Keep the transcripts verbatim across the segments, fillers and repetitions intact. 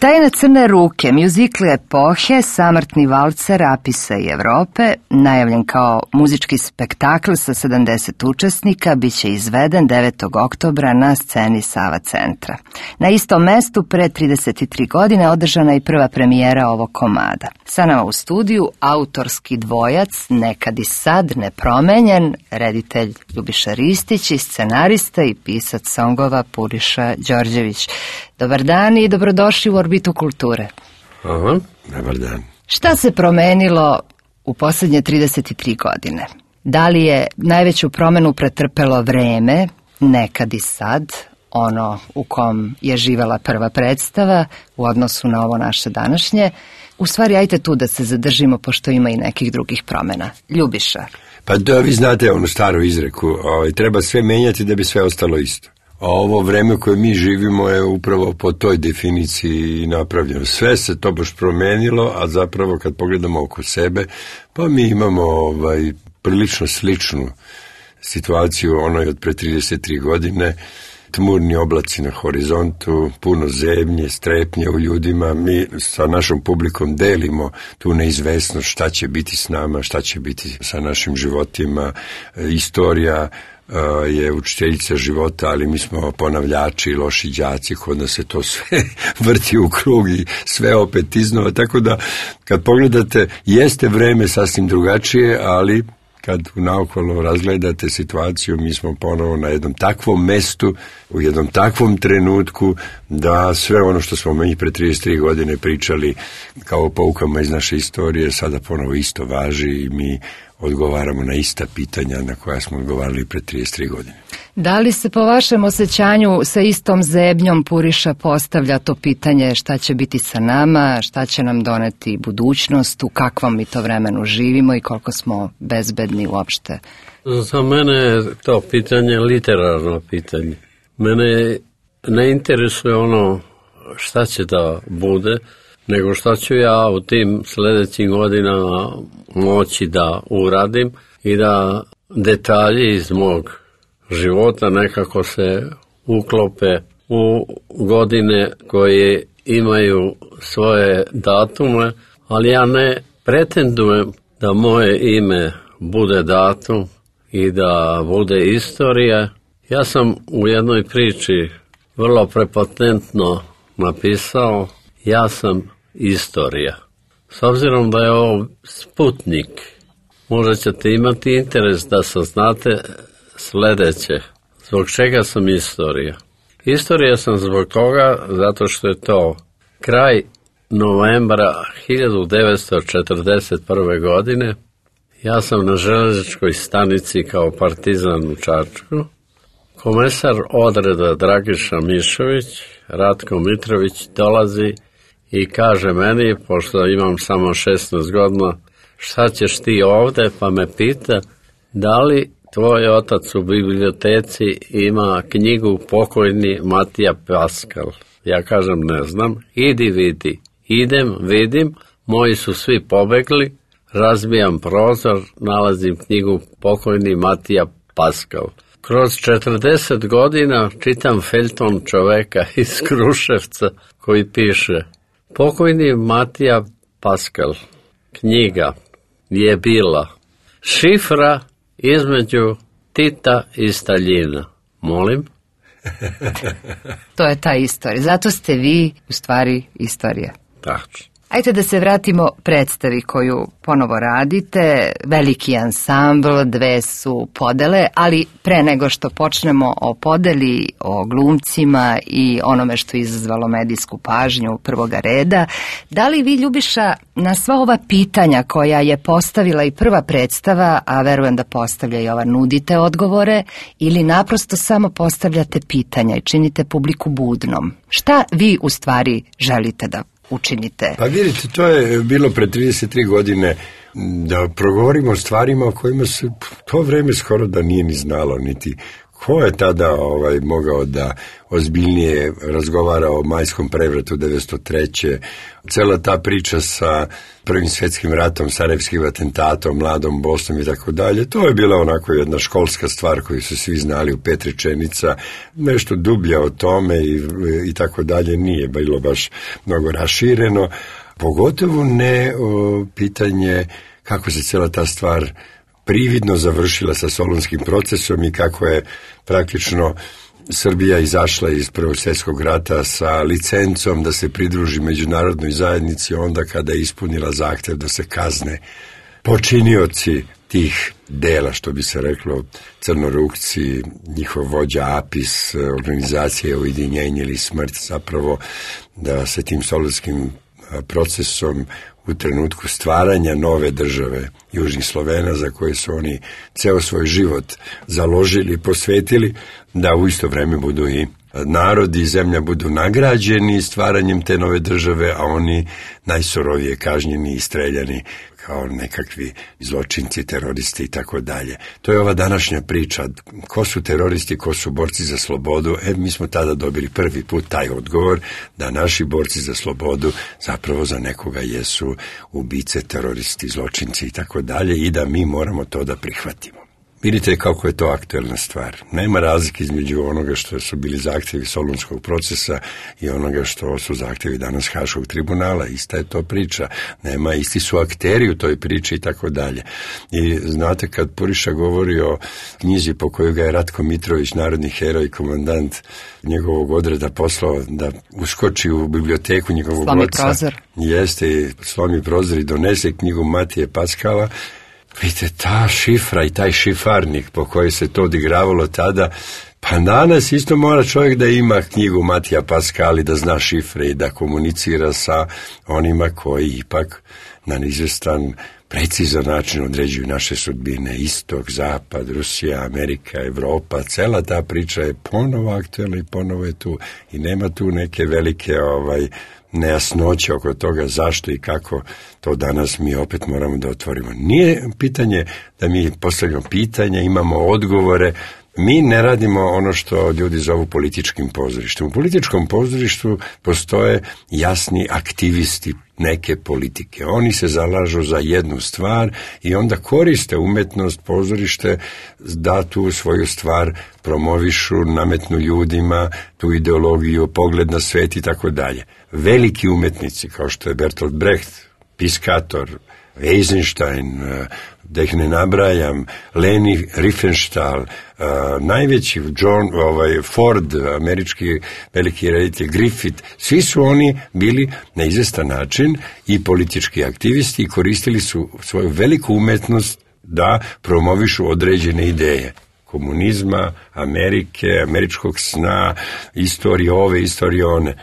Tajne crne ruke, mjuzikl epohe, samrtni valcer Apisa i Evrope, najavljen kao muzički spektakl sa sedamdeset učesnika, bit će izveden devetog oktobra na sceni Sava centra. Na istom mestu pre trideset tri godine održana je prva premijera ovog komada. Sa nama u studiju autorski dvojac, nekad i sad nepromenjen, reditelj Ljubiša Ristić i scenarista i pisac songova Puriša Đorđević. Dobar dan i dobrodošli u Orbitu kulture. Aha, dobar dan. Šta se promenilo u posljednje trideset tri godine? Da li je najveću promenu pretrpelo vreme, nekad i sad, ono u kom je živela prva predstava u odnosu na ovo naše današnje? U stvari, ajte tu da se zadržimo, pošto ima i nekih drugih promjena. Ljubiša. Pa da, vi znate onu staru izreku, ovaj, treba sve menjati da bi sve ostalo isto. A ovo vreme koje mi živimo je upravo po toj definiciji napravljeno. Sve se to baš promenilo, a zapravo kad pogledamo oko sebe, pa mi imamo ovaj, prilično sličnu situaciju onoj od pre trideset tri godine, tmurni oblaci na horizontu, puno zebnje, strepnje u ljudima. Mi sa našom publikom delimo tu neizvesnost šta će biti s nama, šta će biti sa našim životima. Istorija je učiteljica života, ali mi smo ponavljači i loši đaci, kod nas se to sve vrti u krug i sve opet iznova, tako da kad pogledate, jeste vreme sasvim drugačije, ali kad naokolo razgledate situaciju, mi smo ponovo na jednom takvom mestu, u jednom takvom trenutku, da sve ono što smo mi pre trideset tri godine pričali kao poukama iz naše istorije, sada ponovo isto važi i mi odgovaramo na ista pitanja na koja smo odgovarali pre trideset tri godine. Da li se po vašem osjećanju sa istom zebnjom Puriša postavlja to pitanje šta će biti sa nama, šta će nam doneti budućnost, u kakvom mi to vremenu živimo i koliko smo bezbedni uopšte? Za mene je to pitanje literarno pitanje. Mene ne interesuje ono šta će da bude, nego šta ću ja u tim sljedećim godinama moći da uradim i da detalji iz mog života nekako se uklope u godine koje imaju svoje datume, ali ja ne pretendujem da moje ime bude datum i da bude istorija. Ja sam u jednoj priči vrlo prepotentno napisao: ja sam istorija. S obzirom da je ovo Sputnik, možda ćete imati interes da saznate sljedeće. Zbog čega sam istorija? Istorija sam zbog toga zato što je to kraj novembra hiljadu devetsto četrdeset prve. godine. Ja sam na željezničkoj stanici kao partizan u Čačku. Komesar odreda Dragiša Mišović, Ratko Mitrović, dolazi i kaže meni, pošto imam samo šesnaest godina, šta ćeš ti ovde, pa me pita da li tvoj otac u biblioteci ima knjigu pokojni Matija Paskal. Ja kažem ne znam, idi vidi. Idem, vidim, moji su svi pobegli, razbijam prozor, nalazim knjigu pokojni Matija Paskal. Kroz četrdeset godina čitam feljton čoveka iz Kruševca koji piše: pokojni Matija Paskal, knjiga je bila šifra između Tita i Staljina. Molim? To je ta istorija. Zato ste vi u stvari istorija. Tačno. Ajde da se vratimo predstavi koju ponovo radite, veliki ansambl, dve su podele, ali pre nego što počnemo o podeli, o glumcima i onome što je izazvalo medijsku pažnju prvoga reda, da li vi, Ljubiša, na sva ova pitanja koja je postavila i prva predstava, a verujem da postavlja i ova, nudite odgovore ili naprosto samo postavljate pitanja i činite publiku budnom? Šta vi u stvari želite da učinite? Pa vidite, to je bilo pre trideset tri godine da progovorimo o stvarima o kojima se to vreme skoro da nije ni znalo, niti Ko je tada ovaj, mogao da ozbiljnije razgovara o majskom prevratu devetsto treće. Cela ta priča sa Prvim svjetskim ratom, sarajevskim atentatom, mladom Bosnom i tako dalje, to je bila onako jedna školska stvar koju su svi znali u pet rečenica. Nešto dublje o tome i, i tako dalje nije bilo baš mnogo rašireno. Pogotovo ne o, pitanje kako se cela ta stvar prividno završila sa Solunskim procesom i kako je praktično Srbija izašla iz Prvog svjetskog rata sa licencom da se pridruži međunarodnoj zajednici onda kada je ispunila zahtev da se kazne počinioci tih dela, što bi se reklo, crnorukci, njihov vođa Apis, organizacije Ujedinjenje ili smrt, zapravo da se tim Solunskim procesom u trenutku stvaranja nove države Južnih Slovena, za koje su oni ceo svoj život založili i posvetili, da u isto vreme budu i narodi i zemlja budu nagrađeni stvaranjem te nove države, a oni najsurovije kažnjeni i streljani kao nekakvi zločinci, teroristi i tako dalje. To je ova današnja priča. Ko su teroristi, ko su borci za slobodu? E, mi smo tada dobili prvi put taj odgovor da naši borci za slobodu zapravo za nekoga jesu ubice, teroristi, zločinci i tako dalje i da mi moramo to da prihvatimo. Vidite kako je to aktuelna stvar. Nema razlike između onoga što su bili zahtjevi Solunskog procesa i onoga što su zahtjevi danas Haškog tribunala. Ista je to priča. Nema, isti su akteri u toj priči i tako dalje. I znate, kad Puriša govori o knjizi po kojoj ga je Ratko Mitrović, narodni heroj, komandant njegovog odreda, poslao da uskoči u biblioteku njegovog Slomi oca. prozor. Jeste, slomi prozor i donese knjigu Matije Paskala. Vidite, ta šifra i taj šifarnik po kojoj se to odigravalo tada, pa danas isto mora čovjek da ima knjigu Matija Paskala i da zna šifre i da komunicira sa onima koji ipak na izvestan, precizan način određuju naše sudbine. Istok, Zapad, Rusija, Amerika, Evropa, cela ta priča je ponovo aktuelna i ponovo je tu i nema tu neke velike ovaj nejasnoće oko toga zašto i kako to danas mi opet moramo da otvorimo. Nije pitanje da mi postavljamo pitanja, imamo odgovore. Mi ne radimo ono što ljudi zovu političkim pozorištem. U političkom pozorištu postoje jasni aktivisti neke politike. Oni se zalažu za jednu stvar i onda koriste umetnost, pozorište da tu svoju stvar promovišu, nametnu ljudima, tu ideologiju, pogled na svet i tako dalje. Veliki umetnici kao što je Bertolt Brecht, Piscator, Eisenstein, da ih ne nabrajam, Leni Riefenstahl, uh, najveći John, ovaj, Ford, američki veliki reditelj, Griffith, svi su oni bili na izvestan način i politički aktivisti i koristili su svoju veliku umetnost da promovišu određene ideje. Komunizma, Amerike, američkog sna, istorije ove, istorije one.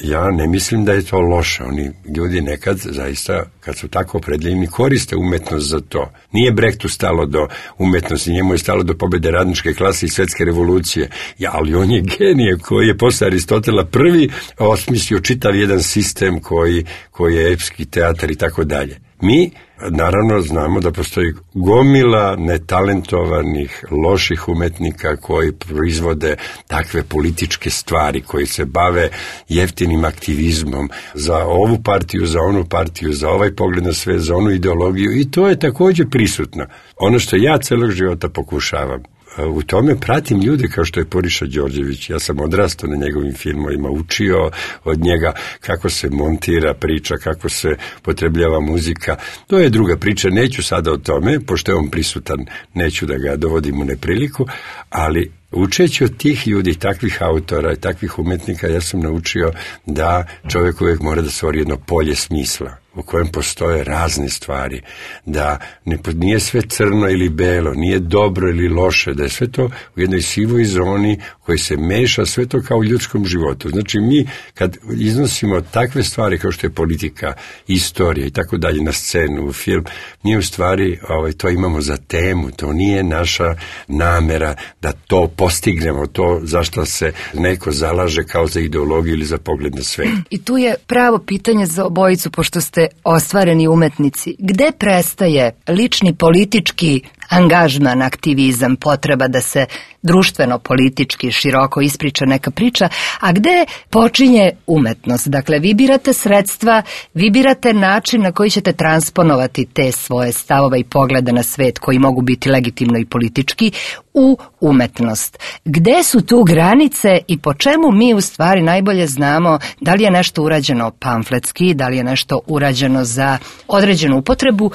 Ja ne mislim da je to loše. Oni ljudi nekad zaista, kad su tako opredjeljeni, koriste umetnost za to. Nije Brechtu stalo do umetnosti, njemu je stalo do pobjede radničke klase i svetske revolucije. Ja, ali on je genije koji je posle Aristotela prvi osmislio čitav jedan sistem koji, koji je epski teatar i tako dalje. Mi, naravno, znamo da postoji gomila netalentovanih, loših umetnika koji proizvode takve političke stvari, koji se bave jeftinim aktivizmom za ovu partiju, za onu partiju, za ovaj pogled na sve, za onu ideologiju i to je također prisutno. Ono što ja celog života pokušavam, u tome pratim ljude kao što je Puriša Đorđević. Ja sam odrastao na njegovim filmovima, učio od njega kako se montira priča, kako se potrebljava muzika. To je druga priča, neću sada o tome, pošto je on prisutan, neću da ga dovodim u nepriliku, ali učeći od tih ljudi, takvih autora i takvih umetnika, ja sam naučio da čovjek uvijek mora da stvori jedno polje smisla u kojem postoje razne stvari, da ne, nije sve crno ili belo, nije dobro ili loše, da je sve to u jednoj sivoj zoni koji se meša, sve to kao u ljudskom životu. Znači mi kad iznosimo takve stvari kao što je politika, istorija i tako dalje na scenu, u film, mi u stvari ovaj, to imamo za temu, to nije naša namera da to postignemo, to zašto se neko zalaže kao za ideologiju ili za pogled na svet. I tu je pravo pitanje za obojicu, pošto ste ste ostvareni umetnici, gde prestaje lični politički angažman, aktivizam, potreba da se društveno, politički, široko ispriča neka priča, a gde počinje umetnost? Dakle, vi birate sredstva, vi birate način na koji ćete transponovati te svoje stavove i poglede na svet koji mogu biti legitimno i politički u umetnost. Gde su tu granice i po čemu mi u stvari najbolje znamo da li je nešto urađeno pamfletski, da li je nešto urađeno za određenu upotrebu,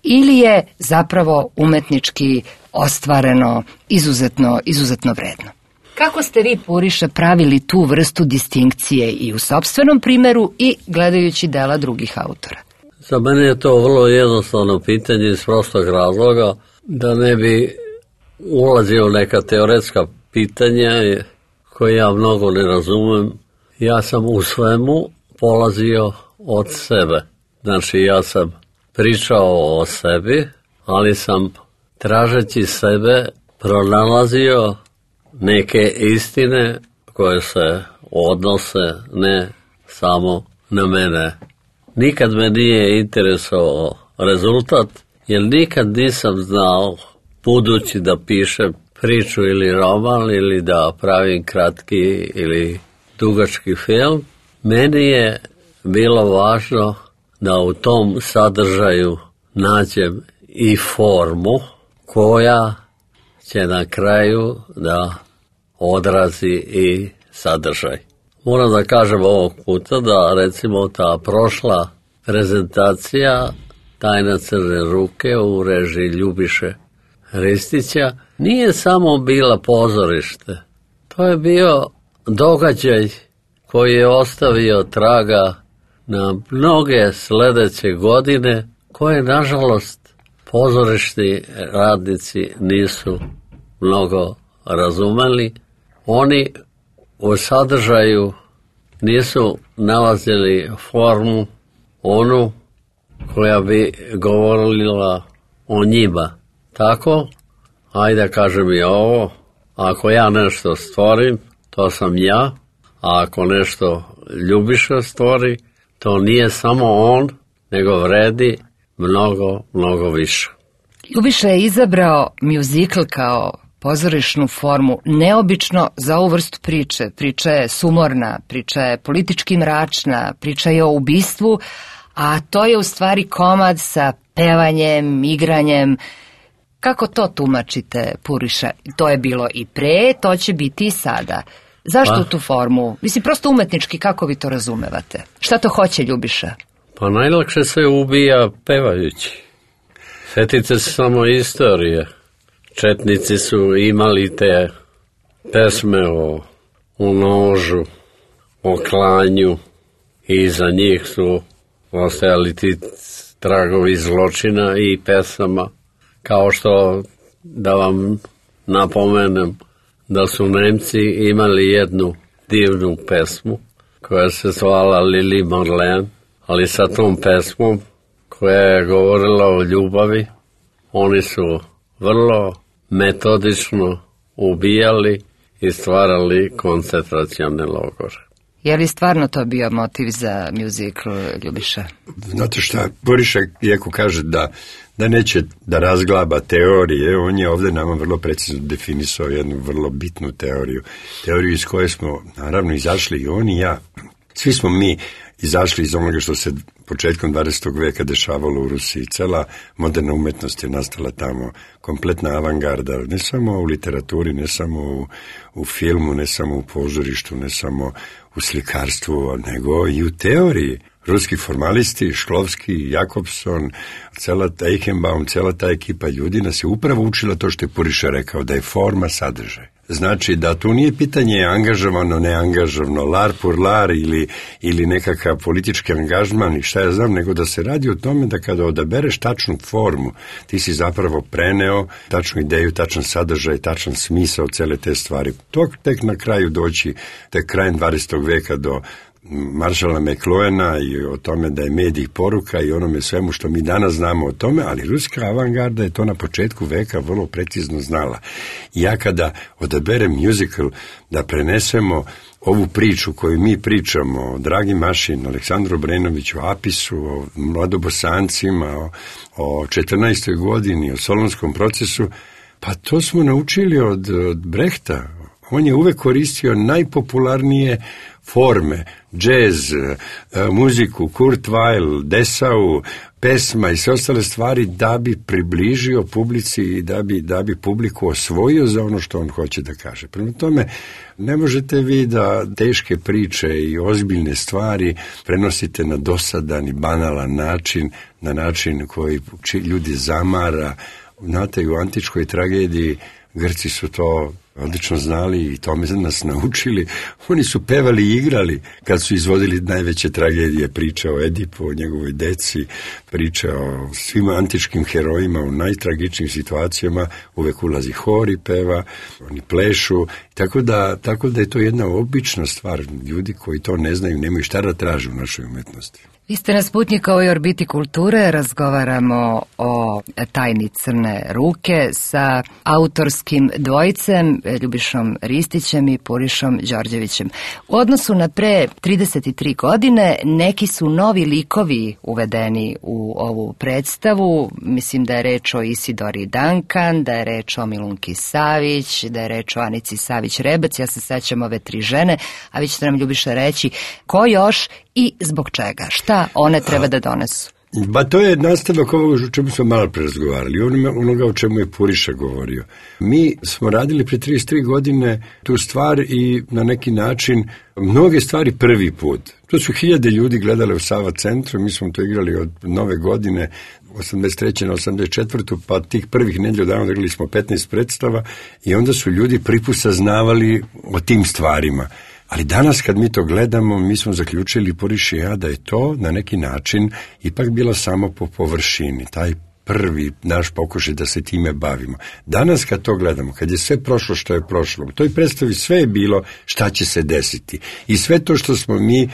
ili je zapravo umetnički ostvareno izuzetno, izuzetno vredno. Kako ste vi, Puriša, pravili tu vrstu distinkcije i u sopstvenom primeru i gledajući dela drugih autora? Za mene je to vrlo jednostavno pitanje iz prostog razloga, da ne bi ulazio u neka teoretska pitanja koje ja mnogo ne razumem. Ja sam u svemu polazio od sebe. Znači, ja sam pričao o sebi, ali sam tražeći sebe pronalazio neke istine koje se odnose ne samo na mene. Nikad me nije interesovao rezultat, jer nikad nisam znao, budući da pišem priču ili roman ili da pravim kratki ili dugački film, meni je bilo važno da u tom sadržaju nađem i formu koja će na kraju da odrazi i sadržaj. Moram da kažem ovog puta da recimo ta prošla prezentacija Tajna crne ruke u režiji Ljubiše Ristića nije samo bila pozorište. To je bio događaj koji je ostavio traga na mnoge sledeće godine, koje, nažalost, pozorišni radnici nisu mnogo razumeli. Oni u sadržaju nisu nalazili formu, onu koja bi govorila o njima. Tako, ajde kažem i ovo, ako ja nešto stvorim, to sam ja, a ako nešto Ljubiša stvori, to nije samo on, nego vredi mnogo, mnogo više. Ljubiša je izabrao mjuzikl kao pozorišnu formu neobično za ovu vrstu priče. Priča je sumorna, priča je politički mračna, priča je o ubistvu, a to je u stvari komad sa pevanjem, igranjem. Kako to tumačite, Puriša? To je bilo i pre, to će biti i sada. Zašto pa, tu formu? Mislim, prosto umetnički, kako vi to razumevate? Šta to hoće Ljubiša? Pa najlakše se ubija pevajući. Sjetite se samo istorije. Četnici su imali te pesme o, o nožu, o klanju i za njih su ostajali ti tragovi zločina i pesama. Kao što, da vam napomenem, da su Nemci imali jednu divnu pesmu koja se zvala Lili Marlene, ali sa tom pesmom koja je govorila o ljubavi, oni su vrlo metodično ubijali i stvarali koncentracione logore. Je li stvarno to bio motiv za mjuzikl, Ljubiša? Znate šta, Puriša iako kaže da, da neće da razglaba teorije, on je ovdje nama vrlo precizno definisao jednu vrlo bitnu teoriju. Teoriju iz koje smo naravno izašli i on i ja. Svi smo mi izašli iz onoga što se početkom dvadesetog veka dešavalo u Rusiji. Cela moderna umetnost je nastala tamo, kompletna avangarda, ne samo u literaturi, ne samo u, u filmu, ne samo u pozorištu, ne samo u slikarstvu, nego i u teoriji. Ruski formalisti, Šklovski, Jakobson, cela ta Eichenbaum, cela ta ekipa ljudi nas je upravo učila to što je Puriša rekao, da je forma sadržaj. Znači da tu nije pitanje angažovano, neangažovano, lar pour lar ili, ili nekakav politički angažman i šta ja znam, nego da se radi o tome da kada odabereš tačnu formu, ti si zapravo preneo tačnu ideju, tačan sadržaj, tačan smisao cele te stvari. To tek na kraju doći, tek krajem dvadesetog veka do Maršala McLuhana i o tome da je medij poruka i onome svemu što mi danas znamo o tome, ali ruska avangarda je to na početku veka vrlo precizno znala. I ja kada odaberem musical da prenesemo ovu priču koju mi pričamo o Dragi Mašin, Aleksandru Obrenoviću, Apisu, o Mladobosancima, o, o četrnaestoj godini, o Solonskom procesu, pa to smo naučili od, od Brehta. On je uvek koristio najpopularnije forme, džez, muziku, Kurt Weill, Dessau, pesma i sve ostale stvari da bi približio publici i da bi, da bi publiku osvojio za ono što on hoće da kaže. Prema tome, ne možete vi da teške priče i ozbiljne stvari prenosite na dosadan i banalan način, na način koji ljudi zamara. Znate, u antičkoj tragediji Grci su to odlično znali i tome nas naučili. Oni su pevali i igrali kad su izvodili najveće tragedije, priče o Edipu, o njegovoj deci, priče o svim antičkim herojima u najtragičnijim situacijama. Uvek ulazi hor i peva, oni plešu, tako da, tako da je to jedna obična stvar. Ljudi koji to ne znaju, nemaju šta da traže u našoj umetnosti. Vi ste na Sputnikovoj orbiti kulture, razgovaramo o tajni Crne ruke sa autorskim dvojicem, Ljubišom Ristićem i Purišom Đorđevićem. U odnosu na pre trideset tri godine, neki su novi likovi uvedeni u ovu predstavu. Mislim da je reč o Isidori Duncan, da je reč o Milunki Savić, da je reč o Anici Savić-Rebac. Ja se sećam ove tri žene, a vi ćete nam, Ljubiša, reći ko još i zbog čega, šta one treba da donesu. Ba to je nastavak ovoga o čemu smo malo prerazgovarali, onoga o čemu je Puriša govorio. Mi smo radili pre trideset tri godine tu stvar i na neki način mnoge stvari prvi put. To su hiljade ljudi gledale u Sava centru, mi smo to igrali od nove godine, osamdeset treće na osamdeset četvrtu pa tih prvih nedelju dana igrali smo petnaest predstava i onda su ljudi prvi put saznavali o tim stvarima. Ali danas kad mi to gledamo, mi smo zaključili, Puriša i ja, da je to na neki način ipak bilo samo po površini, taj prvi naš pokušaj da se time bavimo. Danas kad to gledamo, kad je sve prošlo što je prošlo, u toj predstavi sve je bilo šta će se desiti. I sve to što smo mi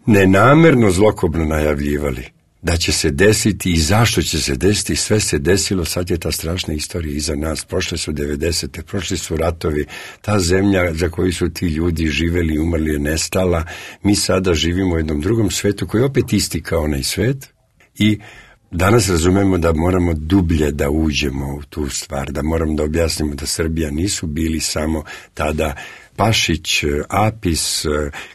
nenamerno zlokobno najavljivali, da će se desiti i zašto će se desiti, sve se desilo, sad je ta strašna istorija iza nas, prošle su devedesete, prošli su ratovi, ta zemlja za koju su ti ljudi živeli i umrli je nestala, mi sada živimo u jednom drugom svetu koji je opet isti kao onaj svet i danas razumemo da moramo dublje da uđemo u tu stvar, da moramo da objasnimo da Srbija nisu bili samo tada Pašić, Apis,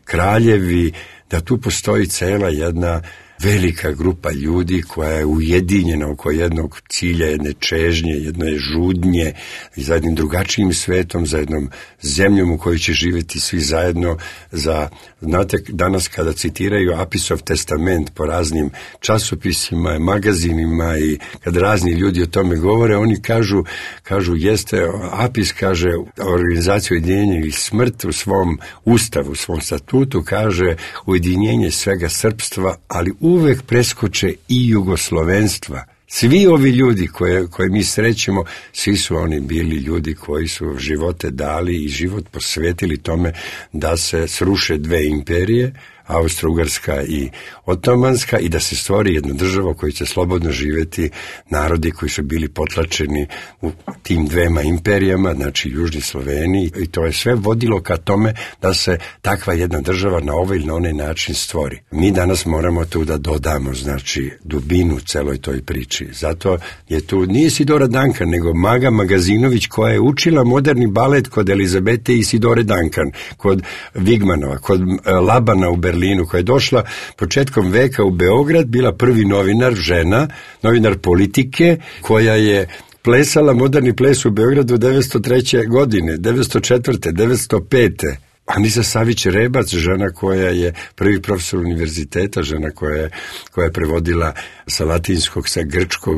kraljevi, da tu postoji cela jedna velika grupa ljudi koja je ujedinjena oko jednog cilja, jedne čežnje, jedne žudnje i za jednim drugačijim svetom, za jednom zemljom u kojoj će živjeti svi zajedno. Za, znate, danas kada citiraju Apisov testament po raznim časopisima, magazinima i kad razni ljudi o tome govore, oni kažu, kažu jeste, Apis kaže, organizacija ujedinjenja i smrt u svom ustavu, u svom statutu kaže ujedinjenje svega srpstva, ali uvek preskoče i jugoslovenstva. Svi ovi ljudi koje, koje mi srećemo, svi su oni bili ljudi koji su živote dali i život posvetili tome da se sruše dve imperije, Austro-Ugarska i Otomanska, i da se stvori jedna država koja će slobodno živjeti, narodi koji su bili potlačeni u tim dvema imperijama, znači Južni Sloveniji, i to je sve vodilo ka tome da se takva jedna država na ovaj ili na onaj način stvori. Mi danas moramo tu da dodamo, znači, dubinu celoj toj priči. Zato je tu, nije Isidora Duncan, nego Maga Magazinović, koja je učila moderni balet kod Elizabete i Isidore Duncan, kod Vigmanova, kod Labana u Berlinu, koja je došla početkom veka u Beograd, bila prvi novinar, žena, novinar politike, koja je plesala moderni ples u Beogradu devetsto treće godine, devetsto četvrte, devetsto pete Anica Savić-Rebac, žena koja je prvi profesor univerziteta, žena koja je, koja je prevodila sa latinskog, sa grčkog,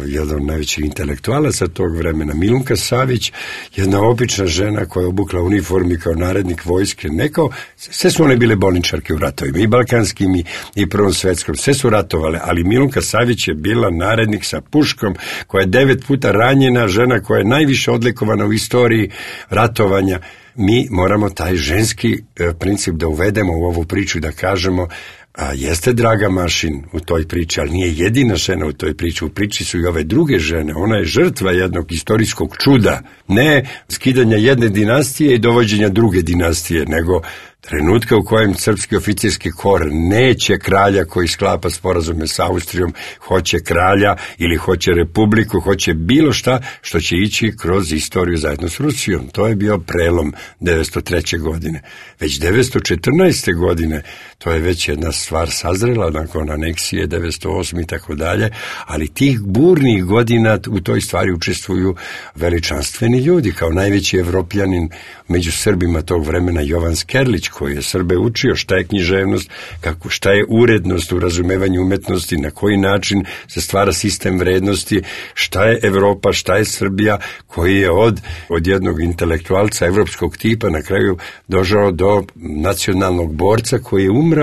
jedan od najvećih intelektualaca tog vremena. Milunka Savić, jedna obična žena koja je obukla uniformi kao narednik vojske. Neko, sve su one bile bolničarke u ratovima, i balkanskim i, i prvom svetskom, sve su ratovale, ali Milunka Savić je bila narednik sa puškom, koja je devet puta ranjena, žena koja je najviše odlikovana u istoriji ratovanja. mi moramo taj ženski princip da uvedemo u ovu priču, da kažemo a jeste Draga Mašin u toj priči, ali nije jedina žena u toj priči, u priči su i ove druge žene, ona je žrtva jednog istorijskog čuda, ne skidanja jedne dinastije i dovođenja druge dinastije, nego trenutka u kojem srpski oficirski kor neće kralja koji sklapa sporazume s Austrijom, hoće kralja ili hoće republiku, hoće bilo šta što će ići kroz istoriju zajedno s Rusijom. To je bio prelom devetsto treće. godine. Već devetsto četrnaeste. godine, to je već jedna stvar sazrela nakon aneksije devetsto osme. i tako dalje, ali tih burnih godina u toj stvari učestvuju veličanstveni ljudi, kao najveći Evropljanin među Srbima tog vremena Jovan Skerlić, koji je Srbe učio šta je književnost, kako, šta je urednost u razumevanju umetnosti, na koji način se stvara sistem vrednosti, šta je Evropa, šta je Srbija, koji je od, od jednog intelektualca evropskog tipa na kraju došao do nacionalnog borca koji je umrao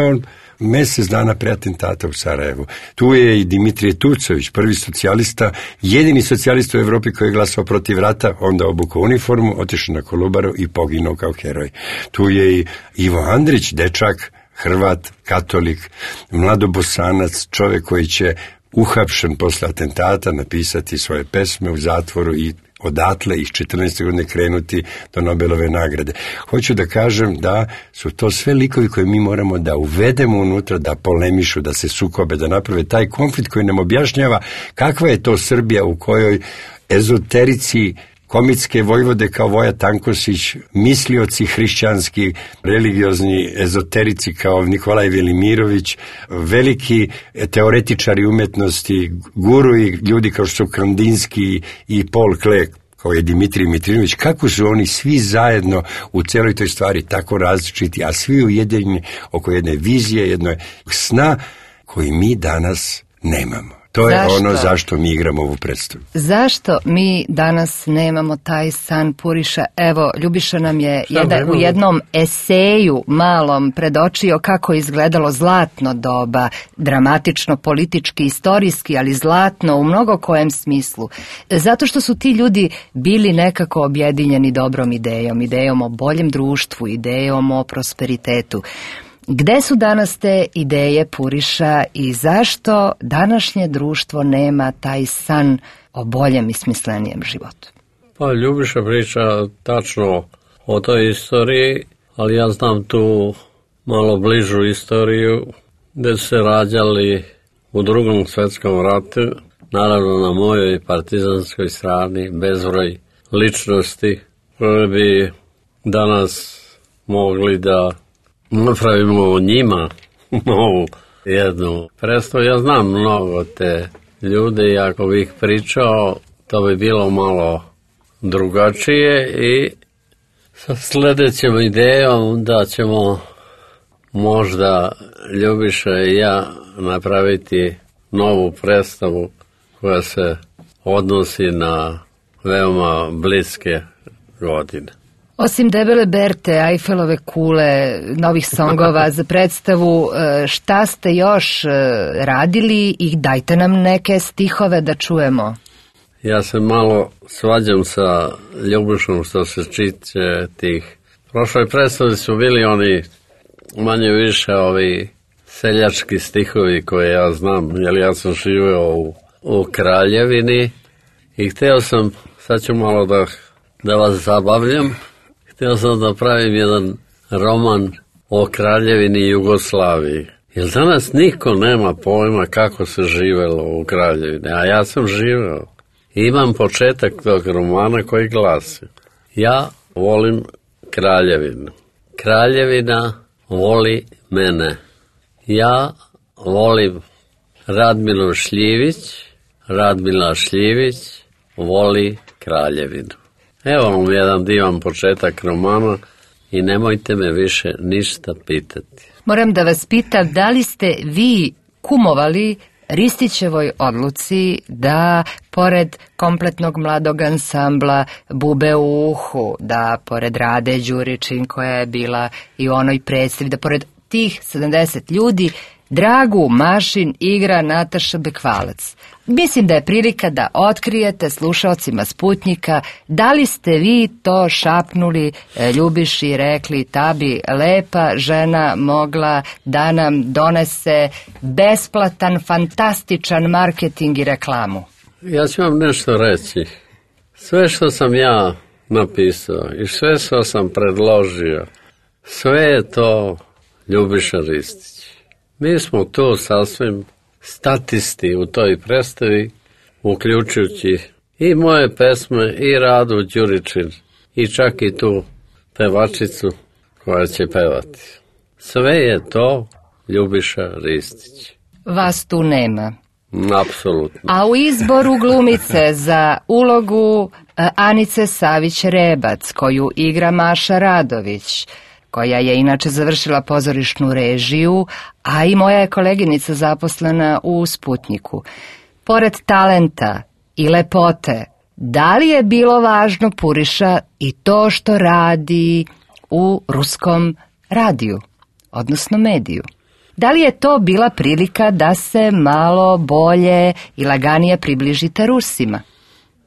mesec dana pre atentata u Sarajevu. Tu je i Dimitrije Tucović, prvi socijalista, jedini socijalista u Evropi koji je glasao protiv rata, onda obukao uniformu, otišao na Kolubaru i poginuo kao heroj. Tu je i Ivo Andrić, dečak, Hrvat, katolik, mladobosanac, čovjek koji će uhapšen posle atentata napisati svoje pesme u zatvoru i odatle iz četrnaeste. godine krenuti do Nobelove nagrade. Hoću da kažem da su to sve likovi koje mi moramo da uvedemo unutra, da polemišu, da se sukobe, da naprave taj konflikt koji nam objašnjava kakva je to Srbija u kojoj ezoterici komitske vojvode kao Voja Tankosić, mislioci hrišćanski, religiozni ezoterici kao Nikolaj Velimirović, veliki teoretičari umetnosti, guruji, ljudi kao što su Kandinski i Paul Klee, kao je Dimitrij Mitrinović, kako su oni svi zajedno u celoj toj stvari tako različiti, a svi ujedinjeni oko jedne vizije, jednog sna koji mi danas nemamo. To je Zašto? ono zašto mi igramo ovu predstavu. Zašto mi danas nemamo taj san Puriša? Evo, Ljubiša nam je jedan, u jednom eseju malom predočio kako je izgledalo zlatno doba, dramatično, politički, istorijski, ali zlatno u mnogo kojem smislu. Zato što su ti ljudi bili nekako objedinjeni dobrom idejom, idejom o boljem društvu, idejom o prosperitetu. Gde su danas te ideje Puriša i zašto današnje društvo nema taj san o boljem i smislenijem životu? Pa Ljubiša priča tačno o toj istoriji, ali ja znam tu malo bližu istoriju gde su se rađali u Drugom svetskom ratu, naravno na mojoj partizanskoj strani, bezbroj ličnosti koje bi danas mogli da napravimo o njima novu jednu predstavu. Ja znam mnogo te ljude i ako bih pričao, to bi bilo malo drugačije i sa sledećom idejom da ćemo možda Ljubiša i ja napraviti novu predstavu koja se odnosi na veoma bliske godine. Osim Debele Berte, Ajfelove kule, novih songova za predstavu, šta ste još radili i dajte nam neke stihove da čujemo. Ja se malo svađam sa Ljubišom što se tiče tih. Prošloj predstavi su bili oni manje više ovi seljački stihovi koje ja znam, jer ja sam živeo u, u Kraljevini i hteo sam, sad ću malo da, da vas zabavljam, htio sam da pravim jedan roman o Kraljevini Jugoslaviji. Jer danas niko nema pojma kako se živelo u Kraljevini, a ja sam živeo. Imam početak tog romana koji glasi: ja volim Kraljevinu. Kraljevina voli mene. Ja volim Radmilu Šljivić. Radmila Šljivić voli Kraljevinu. Evo vam jedan divan početak romana i nemojte me više ništa pitati. Moram da vas pitam, da li ste vi kumovali Ristićevoj odluci da pored kompletnog mladog ansambla Bube u uhu, da pored Rade Đuričin koja je bila i u onoj predstavi, da pored tih sedamdeset ljudi Dragu Mašin igra Nataša Bekvalac. Mislim da je prilika da otkrijete slušalcima Sputnjika da li ste vi to šapnuli Ljubiši i rekli ta bi lepa žena mogla da nam donese besplatan, fantastičan marketing i reklamu. Ja ću vam nešto reći. Sve što sam ja napisao i sve što sam predložio, sve je to Ljubiša Ristić. Mi smo tu sasvim statisti u toj predstavi, uključujući i moje pesme, i Radu Đuričin, i čak i tu pevačicu koja će pevati. Sve je to Ljubiša Ristić. Vas tu nema. Apsolutno. A u izboru glumice za ulogu Anice Savić-Rebac, koju igra Maša Radović, koja je inače završila pozorišnu režiju, a i moja je koleginica zaposlena u Sputnjiku. Pored talenta i lepote, da li je bilo važno Puriša i to što radi u ruskom radiju, odnosno mediju? Da li je to bila prilika da se malo bolje i laganije približite Rusima?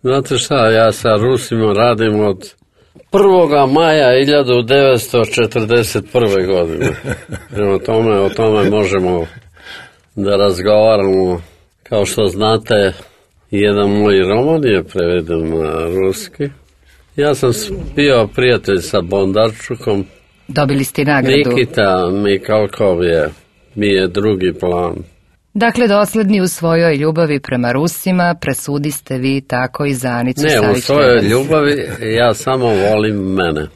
Znate šta, ja sa Rusima radim od prvog maja hiljadu devetsto četrdeset prve. godine. Prema tome, o tome možemo da razgovaramo. Kao što znate, jedan moj roman je preveden na ruski. Ja sam bio prijatelj sa Bondarčukom. Dobili ste nagradu. Nikita Mikalkov je, mi je drugi plan. Dakle, dosledni u svojoj ljubavi prema Rusima, presudiste vi tako i za Anicu Savić. Ne, u svojoj ljubavi ja samo volim mene.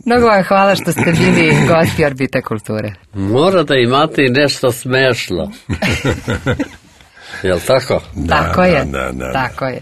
Mnogo vam hvala što ste bili gosti Orbite kulture. Mora da imate i nešto smešno. Jel' tako? Tako je, da, da, da. tako je.